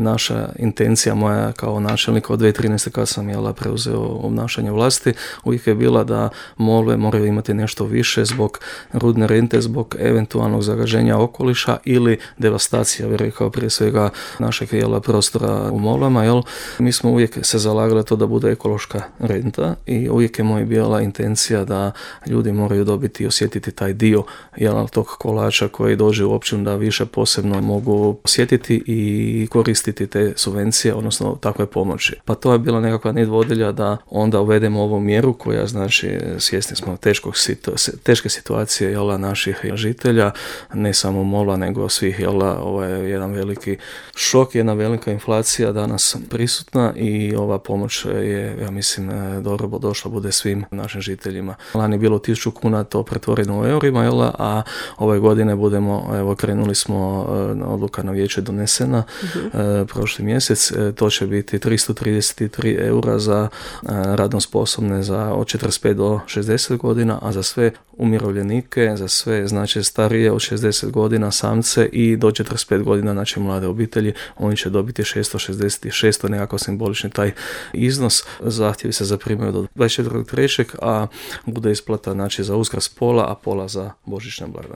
Naša intencija moja kao načelnika od 2013. kad sam preuzeo obnašanje vlasti, uvijek je bila da Molve moraju imati nešto više zbog rudne rente, zbog eventualnog zagađenja okoliša ili devastacija, bih rekao, prije svega našeg prostora u Molvama. Mi smo uvijek se zalagali to da bude ekološka renta i uvijek je moja bila intencija da ljudi moraju dobiti i osjetiti taj dio tog kolača koji dođe u općinu, da više posebno mogu osjetiti i koristiti te subvencije, odnosno takve pomoći. Pa to je bila nekakva nit vodilja da onda uvedemo ovu mjeru koja znači svjesni smo teške situacije naših žitelja, ne samo Molva nego svih. Ovo je jedan veliki šok, jedna velika inflacija danas prisutna i ova pomoć je, ja mislim, dobro došla bude svim našim žiteljima. Lani je bilo 1000 kuna, to pretvoreno u eurima, a ove godine krenuli smo, odluka na vijeće donesena prošli mjesec, to će biti 333 eura za radno sposobne od 45 do 60 godina, a za sve umirovljenike, za sve znači starije od 60 godina, samce i do 45 godina, znači mlade obitelji, oni će dobiti 666, to je nekako simbolični taj iznos. Zahtjevi se zaprimaju do 24.3., a bude isplata znači za Uskrs pola, a pola za božićne blagdane.